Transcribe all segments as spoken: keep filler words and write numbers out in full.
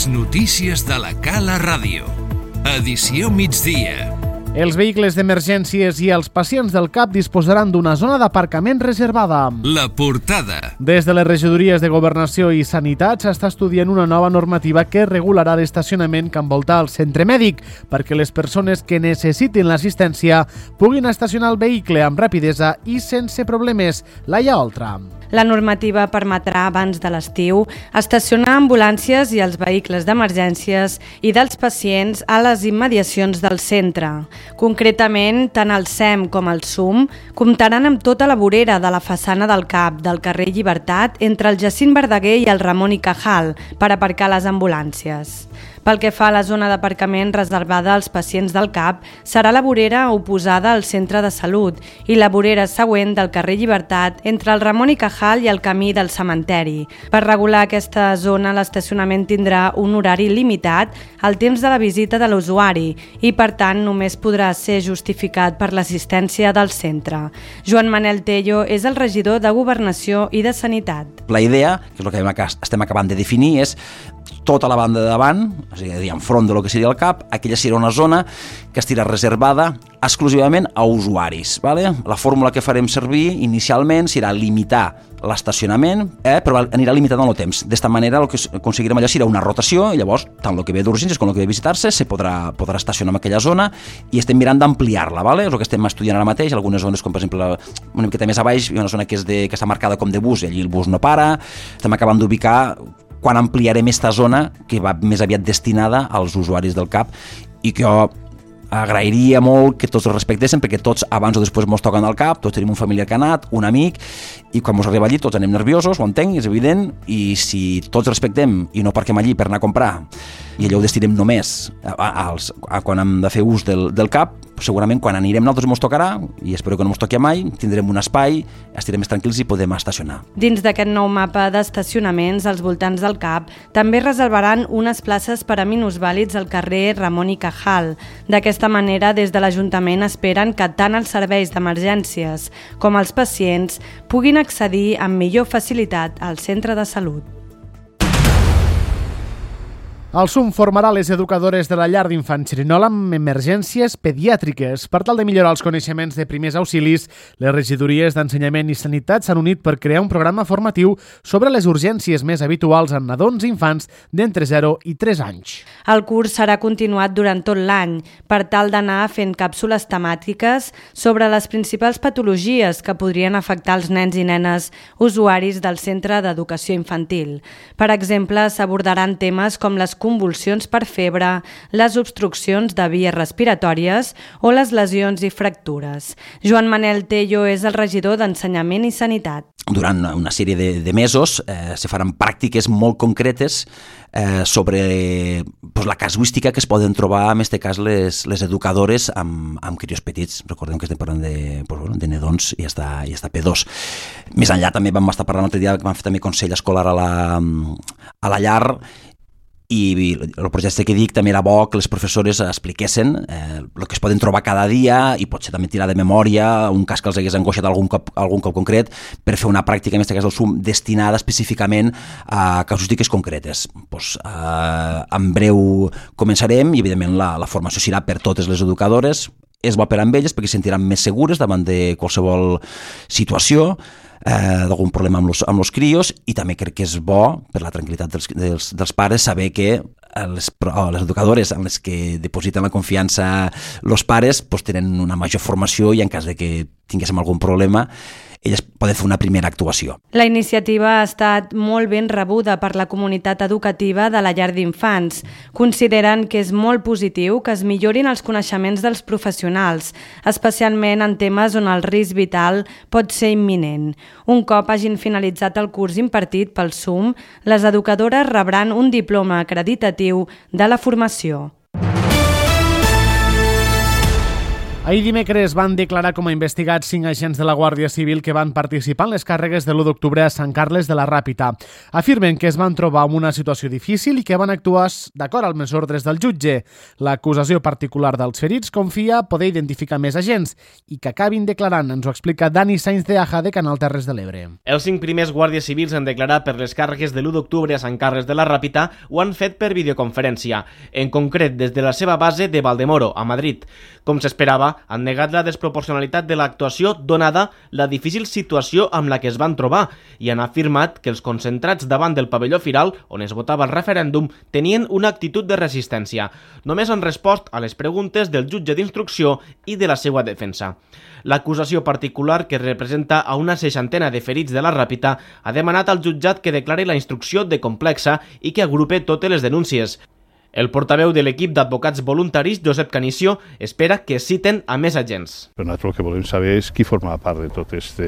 notícies de la Cala Ràdio. Edició migdia. Els vehicles d'emergències i els pacients del C A P disposaran d'una zona d'aparcament reservada. La portada. Des de les regidories de Governació i Sanitat s'està estudiant una nova normativa que regularà l'estacionament que envolta el centre mèdic perquè les persones que necessitin l'assistència puguin estacionar el vehicle amb rapidesa i sense problemes. Laia Oltra. La normativa permetrà abans de l'estiu estacionar ambulàncies i els vehicles d'emergències i dels pacients a les immediacions del centre. Concretament, tant el S E M com el S U M comptaran amb tota la vorera de la façana del C A P del carrer Llibertat entre el Jacint Verdaguer i el Ramon i Cajal per aparcar les ambulàncies. Pel que fa a la zona d'aparcament reservada als pacients del C A P, serà la vorera oposada al centre de salut i la vorera següent del carrer Llibertat entre el Ramon i Cajal i el camí del cementeri. Per regular aquesta zona, l'estacionament tindrà un horari limitat al temps de la visita de l'usuari i, per tant, només podrà ser justificat per l'assistència del centre. Joan Manel Tello és el regidor de Governació i de Sanitat. La idea, que és el que estem acabant de definir, és tota la banda de davant, és a dir, enfront de lo que seria el C A P, aquella serà una zona que estirà reservada exclusivament a usuaris. Vale? La fórmula que farem servir inicialment serà limitar l'estacionament, eh, però anirà limitat en el temps. D'esta manera el que aconseguirem allà serà una rotació i llavors tant el que ve d'urgències com el que ve de visitar-se se podrà, podrà estacionar en aquella zona i estem mirant d'ampliar-la. Vale? És el que estem estudiant ara mateix. Algunes zones, com per exemple una miqueta més a baix, hi ha una zona que, és de, que està marcada com de bus i allí el bus no para. Estem acabant d'ubicar quan ampliarem aquesta zona que va més aviat destinada als usuaris del C A P i que jo agrairia molt que tots el respectessin perquè tots abans o després mos toquen al cap, tots tenim un familiar que ha anat, un amic, i quan mos arriba allí tots anem nerviosos, ho entenc, és evident, i si tots respectem i no parquem allí per anar a comprar i allò ho destinem només a, a, als, a quan hem de fer ús del, del C A P, segurament quan anirem nosaltres mos tocarà, i espero que no mos toqui mai, tindrem un espai, estarem més tranquils i podem estacionar. Dins d'aquest nou mapa d'estacionaments als voltants del C A P també reservaran unes places per a minusvàlids al carrer Ramon i Cajal. D'aquesta manera, des de l'Ajuntament esperen que tant els serveis d'emergències com els pacients puguin accedir amb millor facilitat al centre de salut. El S U M formarà les educadores de la llar d'infants Xerinola amb emergències pediàtriques. Per tal de millorar els coneixements de primers auxilis, les regidories d'Ensenyament i Sanitat s'han unit per crear un programa formatiu sobre les urgències més habituals en nadons i infants d'entre zero i tres anys. El curs serà continuat durant tot l'any per tal d'anar fent càpsules temàtiques sobre les principals patologies que podrien afectar els nens i nenes usuaris del Centre d'Educació Infantil. Per exemple, s'abordaran temes com les convulsions per febre, les obstruccions de vies respiratòries o les lesions i fractures. Joan Manel Tello és el regidor d'Ensenyament i Sanitat. Durant una sèrie de, de mesos eh, se faran pràctiques molt concretes eh, sobre pues, la casuística que es poden trobar, en aquest cas, les, les educadores amb, amb crios petits. Recordem que estem parlant de, pues, bueno, de nedons i està, i està P dos. Més enllà també vam estar parlant l'altre dia que vam fer també consell escolar a la, a la llar, i el projecte que dic també era bo que les professores expliquessin eh, el que es poden trobar cada dia i potser també tirar de memòria un cas que els hagués angoixat algun cop, algun cop concret per fer una pràctica, en aquest cas del S U M, destinada específicament a casuístiques concretes. Pues, eh, en breu començarem i evidentment la, la formació serà per totes les educadores. És bo per a elles perquè se sentiran més segures davant de qualsevol situació, Eh, d'algun problema amb els amb los crios, i també crec que és bo per la tranquil·litat dels, dels, dels pares saber que les, les educadores en les que depositen la confiança els pares pues, tenen una major formació i en cas de que tinguéssim algun problema elles poden fer una primera actuació. La iniciativa ha estat molt ben rebuda per la comunitat educativa de la llar d'infants. Consideren que és molt positiu que es millorin els coneixements dels professionals, especialment en temes on el risc vital pot ser imminent. Un cop hagin finalitzat el curs impartit pel S U M, les educadores rebran un diploma acreditatiu de la formació. Ahir dimecres van declarar com a investigats cinc agents de la Guàrdia Civil que van participar en les càrregues de l'u d'octubre a Sant Carles de la Ràpita. Afirmen que es van trobar en una situació difícil i que van actuar d'acord amb les ordres del jutge. L'acusació particular dels ferits confia poder identificar més agents i que acabin declarant. Ens ho explica Dani Sainz de Aja, de Canal Terres de l'Ebre. Els cinc primers guàrdies civils en declarar per les càrregues de l'u d'octubre a Sant Carles de la Ràpita ho han fet per videoconferència, en concret des de la seva base de Valdemoro, a Madrid. Com s'esperava, han negat la desproporcionalitat de l'actuació donada la difícil situació amb la que es van trobar i han afirmat que els concentrats davant del pavelló firal, on es votava el referèndum, tenien una actitud de resistència. Només han respost a les preguntes del jutge d'instrucció i de la seva defensa. L'acusació particular, que representa a una seixantena de ferits de la Ràpita, ha demanat al jutjat que declari la instrucció de complexa i que agrupe totes les denúncies. El portaveu de l'equip d'advocats voluntaris, Josep Canicio, espera que citen a més agents. Però nosaltres el que volem saber és qui forma part de tot aquest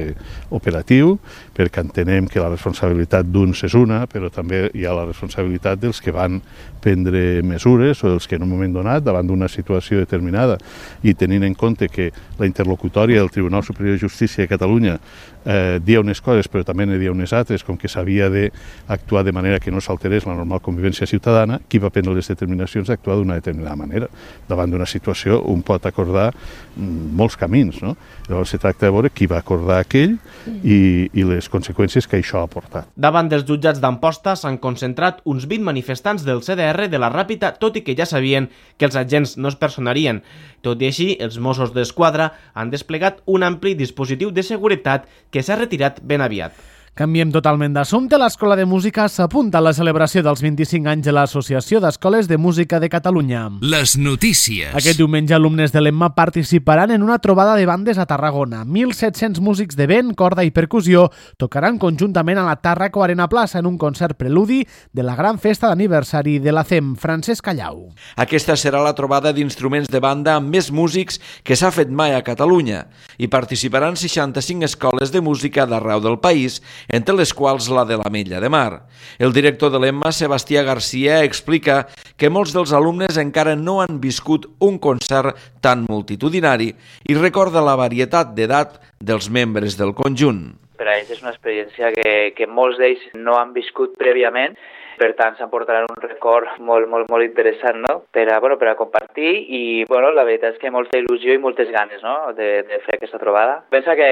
operatiu, perquè entenem que la responsabilitat d'uns és una, però també hi ha la responsabilitat dels que van prendre mesures o dels que en un moment donat, davant d'una situació determinada, i tenint en compte que la interlocutòria del Tribunal Superior de Justícia de Catalunya eh, dia unes coses però també ne dia unes altres, com que s'havia d'actuar de manera que no s'alterés la normal convivència ciutadana, qui va prendre les determinacions d'actuar d'una determinada manera. Davant d'una situació un pot acordar molts camins, no? Llavors se tracta de veure qui va acordar aquell i, i les conseqüències que això ha portat. Davant dels jutjats d'Amposta s'han concentrat uns vint manifestants del C D R de la Ràpita, tot i que ja sabien que els agents no es personarien. Tot i així, els Mossos d'Esquadra han desplegat un ampli dispositiu de seguretat que s'ha retirat ben aviat. Canviem totalment d'assumpte. L'Escola de Música s'apunta a la celebració dels vint-i-cinc anys de l'Associació d'Escoles de Música de Catalunya. Les notícies. Aquest diumenge, alumnes de l'Emma participaran en una trobada de bandes a Tarragona. mil set-cents músics de vent, corda i percussió tocaran conjuntament a la Tàrraco Arena Plaça en un concert preludi de la gran festa d'aniversari de la C E M. Francesc Callau. Aquesta serà la trobada d'instruments de banda amb més músics que s'ha fet mai a Catalunya. Hi participaran seixanta-cinc escoles de música d'arreu del país, entre les quals la de l'Ametlla de Mar. El director de l'Emma, Sebastià Garcia, explica que molts dels alumnes encara no han viscut un concert tan multitudinari i recorda la varietat d'edat dels membres del conjunt. Per a ells és una experiència que, que molts d'ells no han viscut prèviament, per tant s'emportaran un record molt, molt, molt interessant, no? Per a, bueno, per a compartir i, bueno, la veritat és que molta il·lusió i moltes ganes, no? de, de fer aquesta trobada. Pensa que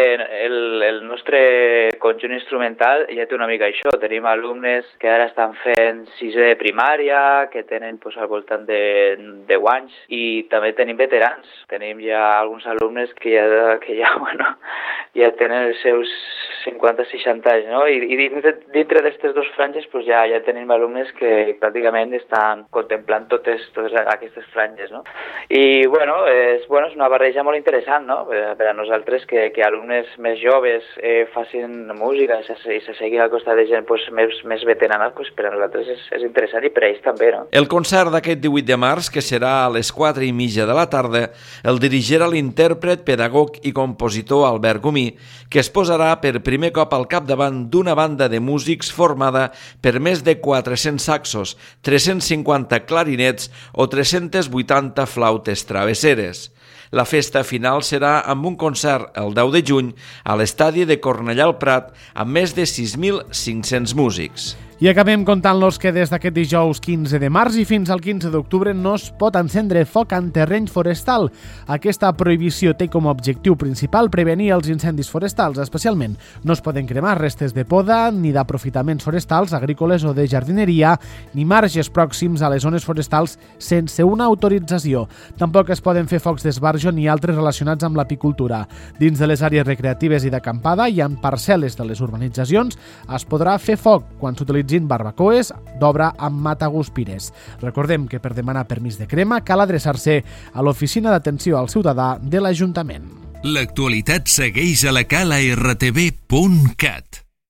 el, el nostre conjunt instrumental ja té una mica això. Tenim alumnes que ara estan fent sisè de primària, que tenen pues, al voltant de deu anys, i també tenim veterans. Tenim ja alguns alumnes que ja, que ja, bueno, ja tenen els seus cinquanta seixanta anys, no? I, i dintre, dintre d'aquestes dues franges pues, ja, ja tenim alumnes que pràcticament estan contemplant totes, totes aquestes franges, no? I, bueno, és, bueno, és una barreja molt interessant, no? Per, per a nosaltres que, que alumnes més joves eh, facin música i se, i se seguin al costat de gent pues, més, més veterana, pues, per a nosaltres és, és interessant i per a ells també, no? El concert d'aquest divuit de març, que serà a les quatre i mitja de la tarda, el dirigirà l'intèrpret, pedagog i compositor Albert Gomí, que es posarà per primer cop al capdavant d'una banda de músics formada per més de quatre-cents saxos, tres-cents cinquanta clarinets o tres-cents vuitanta flautes travesseres. La festa final serà amb un concert el deu de juny a l'estadi de Cornellà al Prat amb més de sis mil cinc-cents músics. I acabem contant-los que des d'aquest dijous quinze de març i fins al quinze d'octubre no es pot encendre foc en terreny forestal. Aquesta prohibició té com a objectiu principal prevenir els incendis forestals, especialment no es poden cremar restes de poda ni d'aprofitaments forestals, agrícoles o de jardineria, ni marges pròxims a les zones forestals sense una autorització. Tampoc es poden fer focs d'esbarjo ni altres relacionats amb l'apicultura. Dins de les àrees recreatives i d'acampada i en parcel·les de les urbanitzacions es podrà fer foc quan s'utilitzen barbacoes d'obra amb mataguspires. Recordem que per demanar permís de crema cal adreçar-se a l'Oficina d'Atenció al Ciutadà de l'Ajuntament. L'actualitat segueix a la cala r t v punt cat.